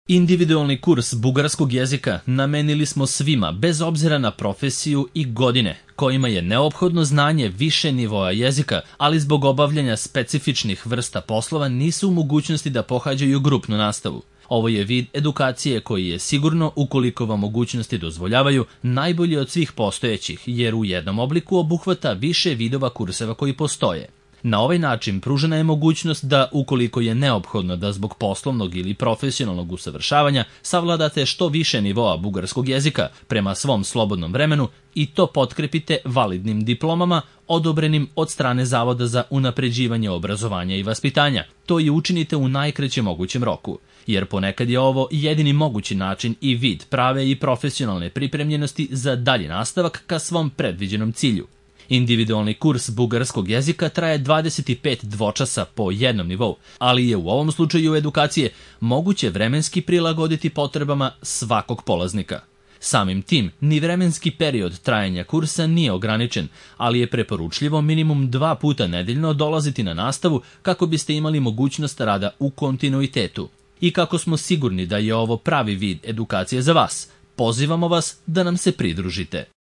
Individualni kurs bugarskog jezika namenili smo svima, bez obzira na profesiju i godine, kojima je neophodno znanje više nivoa jezika, ali zbog obavljanja specifičnih vrsta poslova nisu u mogućnosti da pohađaju grupnu nastavu. Ovo je vid edukacije koji je sigurno, ukoliko vam mogućnosti dozvoljavaju, najbolji od svih postojećih, jer u jednom obliku obuhvata više vidova kurseva koji postoje. Na ovaj način pružena je mogućnost da, ukoliko je neophodno da zbog poslovnog ili profesionalnog usavršavanja savladate što više nivoa bugarskog jezika prema svom slobodnom vremenu i to potkrepite validnim diplomama odobrenim od strane Zavoda za unapređivanje obrazovanja i vaspitanja. To i učinite u najkraćem mogućem roku, jer ponekad je ovo jedini mogući način i vid prave i profesionalne pripremljenosti za dalji nastavak ka svom predviđenom cilju. Individualni kurs bugarskog jezika traje 25 dvočasa po jednom nivou, ali je u ovom slučaju edukacije moguće vremenski prilagoditi potrebama svakog polaznika. Samim tim, ni vremenski period trajanja kursa nije ograničen, ali je preporučljivo minimum 2 puta nedeljno dolaziti na nastavu kako biste imali mogućnost rada u kontinuitetu. I kako smo sigurni da je ovo pravi vid edukacije za vas, pozivamo vas da nam se pridružite.